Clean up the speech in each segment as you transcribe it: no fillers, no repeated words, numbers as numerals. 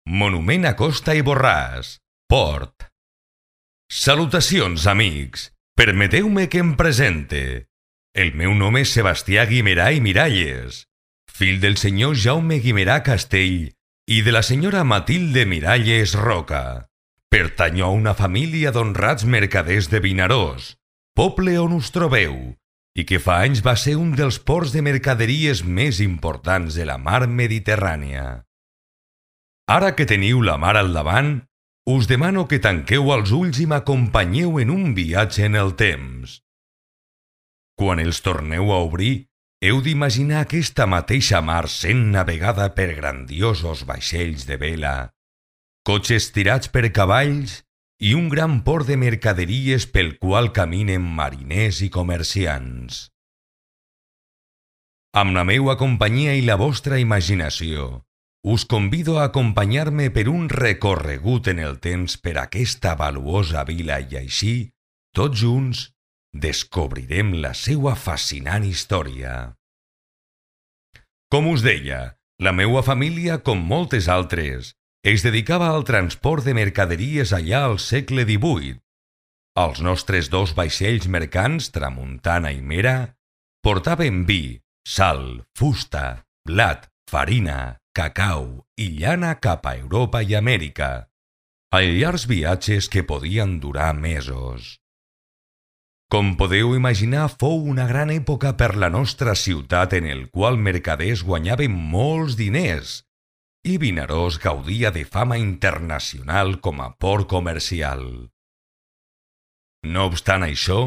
Monument a Costa i Borràs, Port. Salutacions, amics. Permeteu-me que em presente. El meu nom és Sebastià Guimerà i Miralles, fill del senyor Jaume Guimerà Castell i de la senyora Matilde Miralles Roca. Pertanyo a una família d'honrats mercaders de Vinaròs, poble on us trobeu, i que fa anys va ser un dels ports de mercaderies més importants de la mar Mediterrània. Ara que teniu la mar al davant, us demano que tanqueu els ulls i m'acompanyeu en un viatge en el temps. Quan els torneu a obrir, heu d'imaginar aquesta mateixa mar sent navegada per grandiosos vaixells de vela, cotxes tirats per cavalls i un gran port de mercaderies pel qual caminen mariners i comerciants. Amb la meua companyia i la vostra imaginació, us convido a acompanyar-me per un recorregut en el temps per aquesta valuosa vila i així, tots junts, descobrirem la seua fascinant història. Com us deia, la meua família, com moltes altres, es dedicava al transport de mercaderies allà al segle XVIII. Els nostres dos vaixells mercants, Tramuntana i Mera, portaven vi, sal, fusta, blat, farina, cacau i llana cap a Europa i Amèrica, a llargs viatges que podien durar mesos. Com podeu imaginar, fou una gran època per la nostra ciutat en el qual mercaders guanyaven molts diners i Vinaròs gaudia de fama internacional com a port comercial. No obstant això,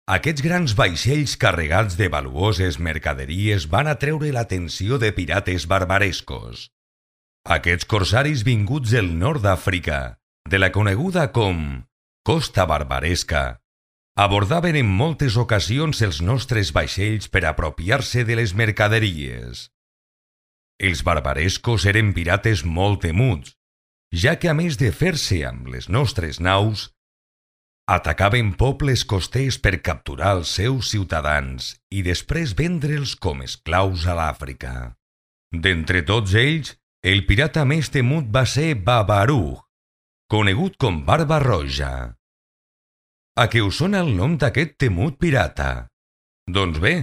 aquests grans vaixells carregats de valuoses mercaderies van atreure l'atenció de pirates barbarescos. Aquests corsaris vinguts del nord d'Àfrica, de la coneguda com Costa Barbaresca, abordaven en moltes ocasions els nostres vaixells per apropiar-se de les mercaderies. Els barbarescos eren pirates molt temuts, ja que a més de fer-se amb les nostres naus, atacaven pobles costers per capturar els seus ciutadans i després vendre'ls com esclaus a l'Àfrica. D'entre tots ells, el pirata més temut va ser Babarug, conegut com Barba Roja. A què us sona el nom d'aquest temut pirata? Doncs bé,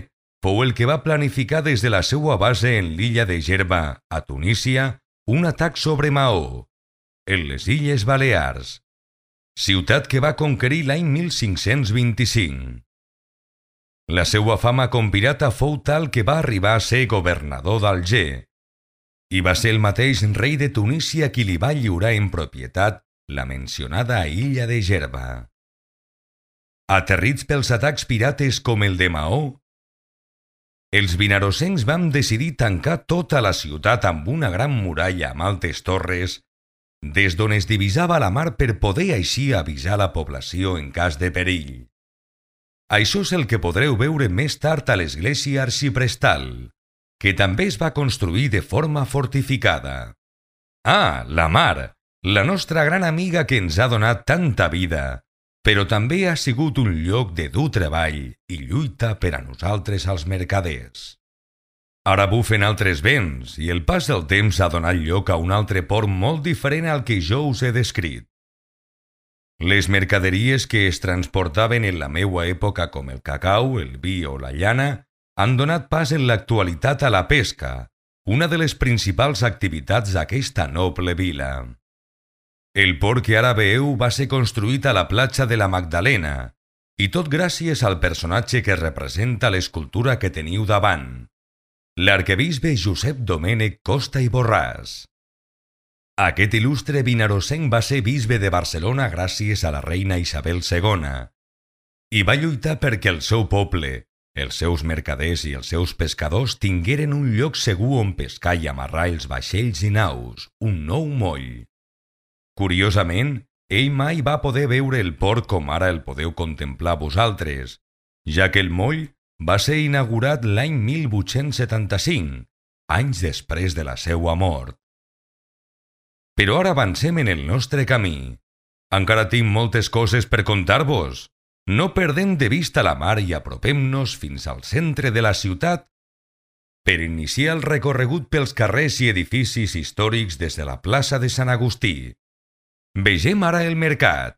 fou el que va planificar des de la seua base en l'illa de Gerba, a Tunísia, un atac sobre Maó, en les Illes Balears, ciutat que va conquerir l'any 1525. La seua fama com pirata fou tal que va arribar a ser governador d'Alger, i va ser el mateix rei de Tunísia qui li va lliurar en propietat la mencionada illa de Gerba. Aterrits pels atacs pirates com el de Maó, els vinarossencs vam decidir tancar tota la ciutat amb una gran muralla amb altes torres, des d'on es divisava la mar per poder així avisar la població en cas de perill. Això és el que podreu veure més tard a l'església arxiprestal, que també es va construir de forma fortificada. Ah, la mar, la nostra gran amiga que ens ha donat tanta vida, però també ha sigut un lloc de dur treball i lluita per a nosaltres els mercaders. Ara bufen altres vents i el pas del temps ha donat lloc a un altre port molt diferent al que jo us he descrit. Les mercaderies que es transportaven en la meua època com el cacau, el vi o la llana han donat pas en l'actualitat a la pesca, una de les principals activitats d'aquesta noble vila. El port que ara veieu va ser construït a la platja de la Magdalena, i tot gràcies al personatge que representa l'escultura que teniu davant, l'arquebisbe Josep Domènec Costa i Borràs. Aquest il·lustre vinarossenc va ser bisbe de Barcelona gràcies a la reina Isabel II, i va lluitar perquè el seu poble, els seus mercaders i els seus pescadors tingueren un lloc segur on pescar i amarrar els vaixells i naus, un nou moll. Curiosament, ell mai va poder veure el port com ara el podeu contemplar vosaltres, ja que el moll va ser inaugurat l'any 1875, anys després de la seua mort. Però ara avancem en el nostre camí. Encara tinc moltes coses per contar-vos. No perdem de vista la mar i apropem-nos fins al centre de la ciutat per iniciar el recorregut pels carrers i edificis històrics des de la plaça de Sant Agustí. Vegem ara el mercat.